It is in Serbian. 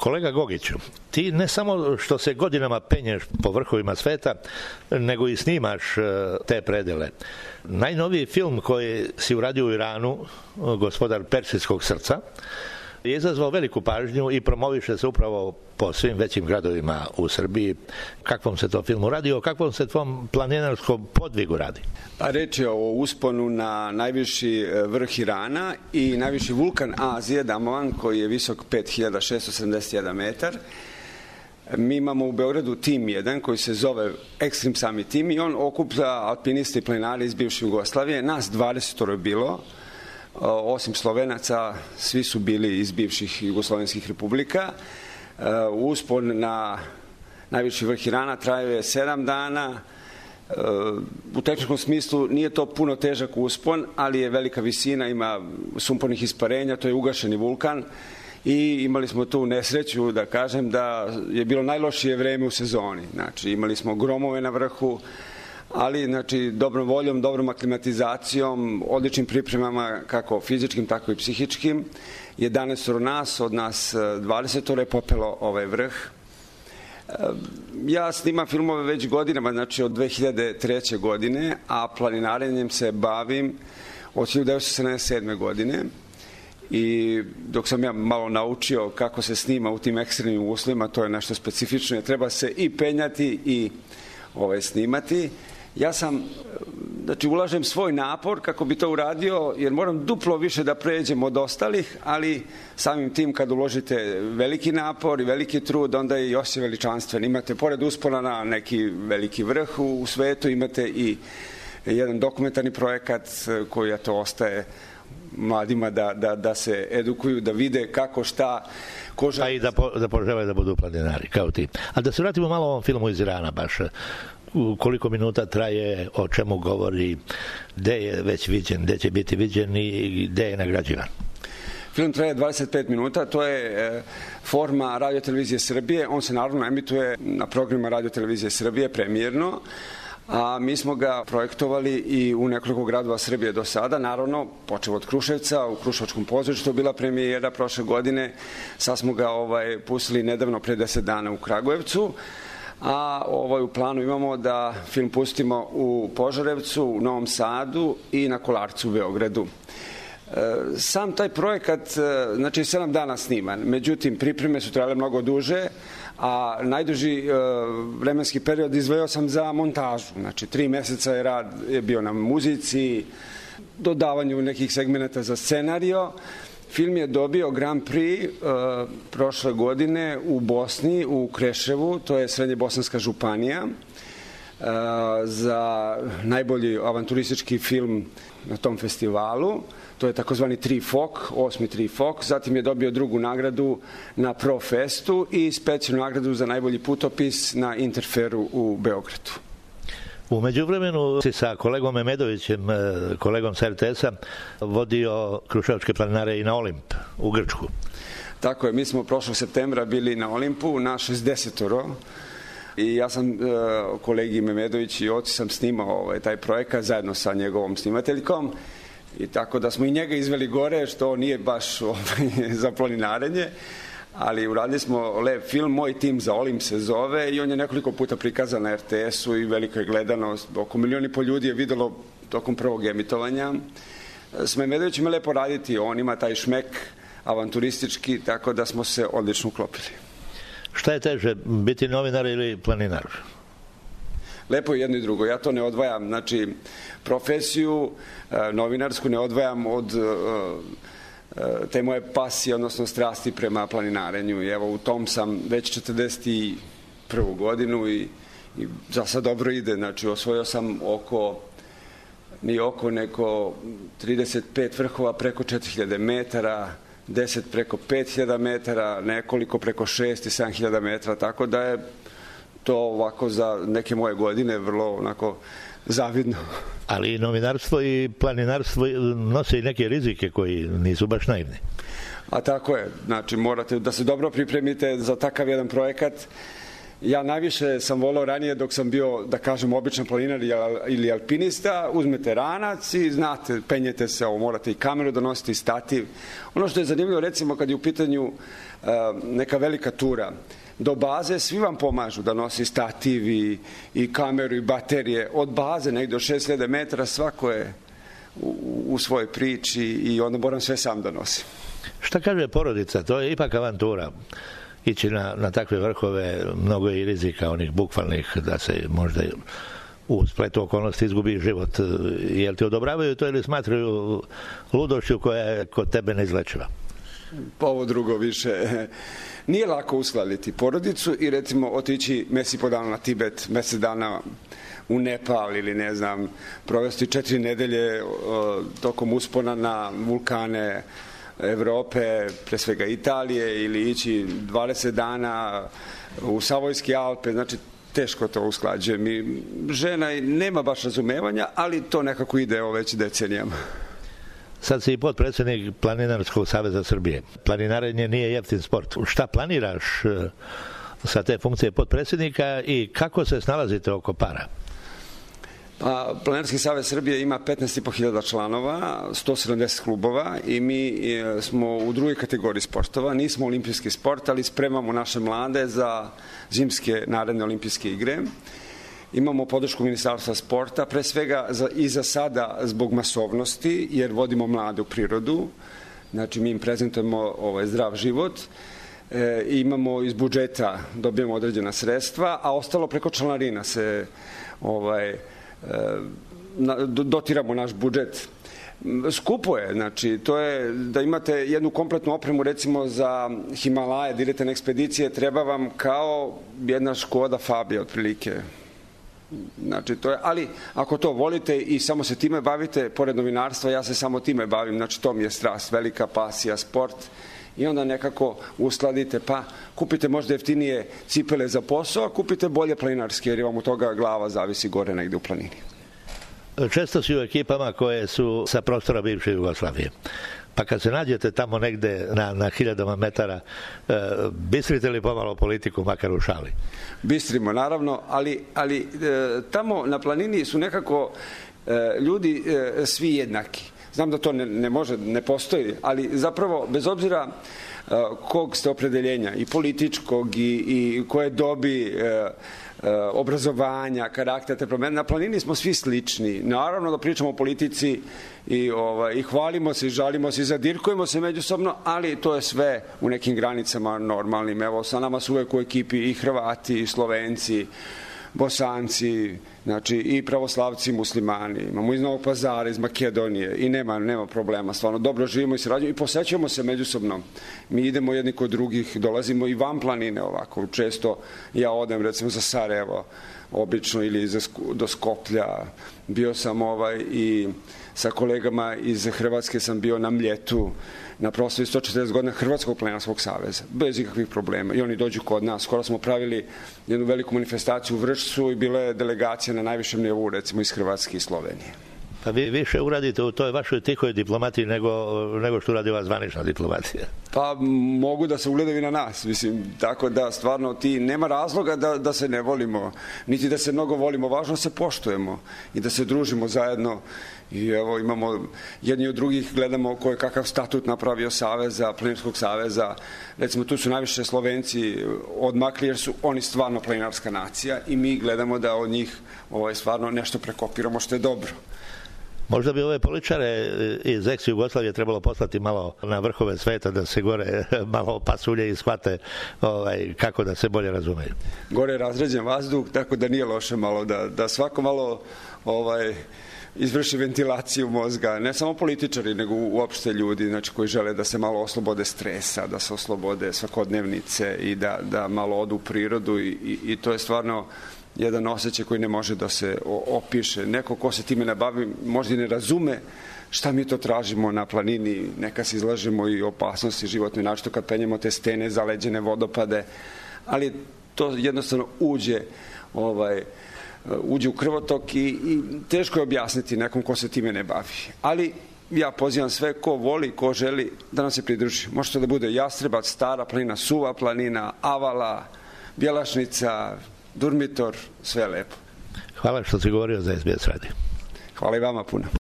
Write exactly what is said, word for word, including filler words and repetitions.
Kolega Gogiću, ti ne samo što se godinama penješ po vrhovima sveta, nego i snimaš te predele. Najnoviji film koji si uradio u Iranu, Gospodar Persijskog srca, je izazvao veliku pažnju i promoviše se upravo po svim većim gradovima u Srbiji. Kakvom se to filmu radi, o kakvom se tvom planinarskom podvigu radi? Pa reč je o usponu na najviši vrh Irana i najviši vulkan Azije, Damovan, koji je visok pet hiljada šessto sedamdeset jedan metar. Mi imamo u Beogradu tim jedan koji se zove Extreme Summit Team i on okuplja alpiniste i planinare iz bivše Jugoslavije. Nas dvadeset je bilo. Osim Slovenaca, svi su bili iz bivših jugoslovenskih republika. Uspon na najviši vrh Irana traje sedam dana. U tehničkom smislu nije to puno težak uspon, ali je velika visina, ima sumpornih isparenja, to je ugašeni vulkan i imali smo tu nesreću da kažem da je bilo najlošije vreme u sezoni. Znači, imali smo gromove na vrhu, ali znači dobrom voljom, dobrom aklimatizacijom, odličnim pripremama kako fizičkim, tako i psihičkim. jedanaest nas, od nas dvadeset je popelo ovaj vrh. Ja snimam filmove već godinama, znači od dve hiljade treće. godine, a planinarenjem se bavim od hiljadu devetsto sedamdeset sedme. godine. I dok sam ja malo naučio kako se snima u tim ekstremnim uslovima, to je nešto specifično, treba se i penjati i ovaj, snimati. Ja sam, znači ulažem svoj napor kako bi to uradio, jer moram duplo više da pređem od ostalih, ali samim tim kad uložite veliki napor i veliki trud, onda je i osjećaj veličanstven. Imate, pored uspona na neki veliki vrh u svetu, imate i jedan dokumentarni projekat koji ja to ostaje mladima da, da, da se edukuju, da vide kako, šta, ko žele. A i da, po, da požele da budu planinari, kao ti. A da se vratimo malo o ovom filmu iz Irana baš. Koliko minuta traje, o čemu govori, gde je već viđen, gde će biti viđen i gde je nagrađivan? Film traje dvadeset pet minuta, to je e, forma Radio-televizije Srbije, on se naravno emituje na programima Radio-televizije Srbije premijerno, a mi smo ga projektovali i u nekoliko gradova Srbije do sada, naravno, počeo od Kruševca, u Kruševačkom pozorištu bila premijera prošle godine, sad smo ga ovaj, pustili nedavno pre deset dana u Kragujevcu, a ovaj, u planu imamo da film pustimo u Požarevcu, u Novom Sadu i na Kolarcu u Beogradu. Sam taj projekat, znači sedam dana sniman, međutim pripreme su trajale mnogo duže, a najduži vremenski period izdvojio sam za montažu, znači tri meseca je rad je bio na muzici, dodavanju nekih segmenata za scenario. Film je dobio Grand Prix uh, prošle godine u Bosni, u Kreševu, to je Srednje bosanska županija, uh, za najbolji avanturistički film na tom festivalu. To je takozvani tri fok, osmi tri fok. Zatim je dobio drugu nagradu na Profestu i specijalnu nagradu za najbolji putopis na Interferu u Beogradu. U međuvremenu si sa kolegom Memedovićem, kolegom sa er te es-a, vodio kruševačke planinare i na Olimp, u Grčku. Tako je, mi smo prošlog septembra bili na Olimpu, na šezdesetoro, i ja sam, kolegi Memedović i oci sam snimao ovaj, taj projekat zajedno sa njegovom snimateljkom, i tako da smo i njega izveli gore, što nije baš ovaj, za planinarenje, ali uradili smo lep film, Moj tim za Olimp se zove, i on je nekoliko puta prikazan na er te es-u i velika je gledanost. Oko milion i po ljudi je videlo tokom prvog emitovanja. S Memedovićem je lepo raditi, on ima taj šmek avanturistički, tako da smo se odlično uklopili. Šta je teže, biti novinar ili planinar? Lepo je jedno i drugo, ja to ne odvajam, znači profesiju novinarsku ne odvajam od te moje pasije, odnosno strasti prema planinarenju. I evo, u tom sam već četrdeset prvu godinu i, i za sad dobro ide. Znači, osvojio sam oko, ni oko neko trideset pet vrhova preko četiri hiljade metara, deset preko pet hiljada metara, nekoliko preko šest i sedam hiljada metara, tako da je to ovako za neke moje godine vrlo onako zavidno. Ali i novinarstvo i planinarstvo nose i neke rizike koji nisu baš naivni. A tako je, znači morate da se dobro pripremite za takav jedan projekat, Ja najviše sam volao ranije dok sam bio, da kažem, običan planinar ili alpinista, uzmete ranac i znate, penjete se, ovo, morate i kameru donositi, i stativ. Ono što je zanimljivo, recimo, kad je u pitanju uh, neka velika tura, do baze svi vam pomažu da nosi stativ i, i kameru i baterije. Od baze negdje do šest hiljada metara svako je u, u svojoj priči i onda moram sve sam da nosim. Šta kaže porodica? To je ipak avantura. Ići na, na takve vrhove, mnogo je i rizika onih bukvalnih da se možda u spletu okolnosti izgubi život. Jel ti odobravaju to ili smatraju ludošću koja je kod tebe neizlečiva? Pa ovo drugo više. Nije lako uskladiti porodicu i recimo otići mesec i po dana na Tibet, mesec dana u Nepal ili ne znam, provesti četiri nedelje o, tokom uspona na vulkane Evrope, pre svega Italije, ili ići dvadeset dana u Savojske Alpe, znači teško to usklađujem i žena nema baš razumevanja, ali to nekako ide o već decenijama. Sad si i potpredsjednik Planinarskog saveza Srbije. Planinarenje nije jeftin sport. Šta planiraš sa te funkcije potpredsjednika i kako se snalazite oko para? Pa, Planinarski savez Srbije ima petnaest i po hiljada članova, sto sedamdeset klubova i mi smo u drugoj kategoriji sportova. Nismo olimpijski sport, ali spremamo naše mlade za zimske naredne olimpijske igre. Imamo podršku Ministarstva sporta, pre svega za, i za sada zbog masovnosti, jer vodimo mlade u prirodu. Znači, mi im prezentujemo ovaj, zdrav život. E, imamo iz budžeta, dobijemo određena sredstva, a ostalo preko članarina se ovaj, e, dotiramo naš budžet. Skupo je, znači, to je da imate jednu kompletnu opremu, recimo za Himalaje, da idete na ekspedicije, treba vam kao jedna Škoda Fabija, otprilike. Znači, to je, ali ako to volite i samo se time bavite, pored novinarstva, ja se samo time bavim, znači to mi je strast, velika pasija, sport, i onda nekako uskladite, pa kupite možda jeftinije cipele za posao, a kupite bolje planinarske, jer vam od toga glava zavisi gore negde u planini. Često si u ekipama koje su sa prostora bivše Jugoslavije. Pa kad se nađete tamo negde na, na hiljadama metara, e, bistrite li pomalo politiku, makar u šali? Bistrimo, naravno, ali, ali e, tamo na planini su nekako e, ljudi e, svi jednaki. Znam da to ne, ne može, ne postoji, ali zapravo, bez obzira e, kog ste opredeljenja, i političkog, i, i koje dobi e, obrazovanja, karaktera, te promene. Na planini smo svi slični. Naravno da pričamo o politici i, ovaj, i hvalimo se i žalimo se i zadirkujemo se međusobno, ali to je sve u nekim granicama normalnim. Evo, sa nama su uvek u ekipi i Hrvati, i Slovenci, Bosanci, znači i pravoslavci, i muslimani. Imamo iz Novog Pazara, iz Makedonije i nema, nema problema. Stvarno, dobro živimo i sarađujemo i posećujemo se međusobno. Mi idemo jedni kod drugih, dolazimo i van planine ovako. Često ja odem recimo za Sarajevo, obično, ili za, do Skoplja. Bio sam ovaj i sa kolegama iz Hrvatske sam bio na Mljetu, na proslavi sto četrdeset godina Hrvatskog planinarskog saveza, bez ikakvih problema. I oni dođu kod nas. Skoro smo pravili jednu veliku manifestaciju u Vršcu i bila je delegacija na najvišem nivou, recimo iz Hrvatske i Slovenije. Pa vi više uradite u toj vašoj tihoj diplomatiji nego, nego što uradi ova zvanična diplomatija. Pa mogu da se ugledaju na nas, mislim, tako da stvarno ti nema razloga da, da se ne volimo, niti da se mnogo volimo, važno se poštujemo i da se družimo zajedno. I evo imamo jedni od drugih, gledamo ko je kakav statut napravio Saveza, Planinarskog saveza. Recimo tu su najviše Slovenci odmakli jer su oni stvarno planinarska nacija i mi gledamo da od njih ovaj, stvarno nešto prekopiramo što je dobro. Možda bi ove političare iz ex-Jugoslavije trebalo poslati malo na vrhove sveta da se gore malo pasulje i shvate ovaj, kako da se bolje razumeju. Gore je razređen vazduh, tako da nije loše malo da, da svako malo ovaj, izvrši ventilaciju mozga, ne samo političari, nego uopšte ljudi, znači, koji žele da se malo oslobode stresa, da se oslobode svakodnevnice i da, da malo odu u prirodu i, i, i to je stvarno jedan osjećaj koji ne može da se opiše. Neko ko se time ne bavi možda i ne razume šta mi to tražimo na planini, neka se izlažemo i opasnosti životne, načito kad penjemo te stene, zaleđene vodopade, ali to jednostavno uđe ovaj, uđe u krvotok i, i teško je objasniti nekom ko se time ne bavi. Ali ja pozivam sve ko voli, ko želi da nam se pridruži. Može to da bude Jastrebac, Stara planina, Suva planina, Avala, Bjelašnica, Durmitor, sve lepo. Hvala što si govorio za S B S radio. Hvala i vama puno.